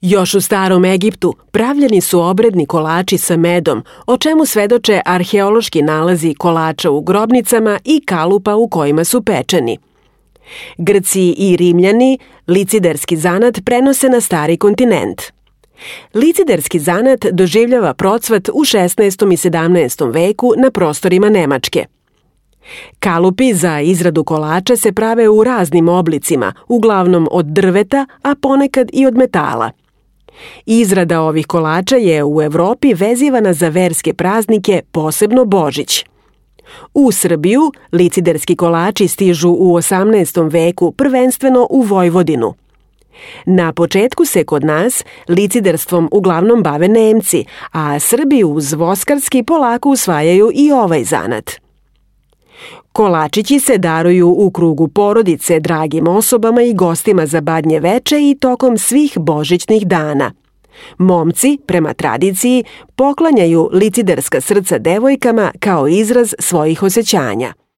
Još u starom Egiptu pravljeni su obredni kolači sa medom, o čemu svedoče arheološki nalazi kolača u grobnicama i kalupa u kojima su pečeni. Grci i Rimljani liciderski zanat prenose na stari kontinent. Liciderski zanat doživljava procvat u 16. i 17. veku na prostorima Nemačke. Kalupi za izradu kolača se prave u raznim oblicima, uglavnom od drveta, a ponekad i od metala. Izrada ovih kolača je u Evropi vezivana za verske praznike, posebno Božić. U Srbiju liciderski kolači stižu u 18. veku prvenstveno u Vojvodinu. Na početku se kod nas liciderstvom uglavnom bave Nemci, a Srbi uz voskarski polako usvajaju i ovaj zanat. Kolačići se daruju u krugu porodice dragim osobama i gostima za badnje veče i tokom svih božićnih dana. Momci, prema tradiciji, poklanjaju liciderska srca devojkama kao izraz svojih osjećanja.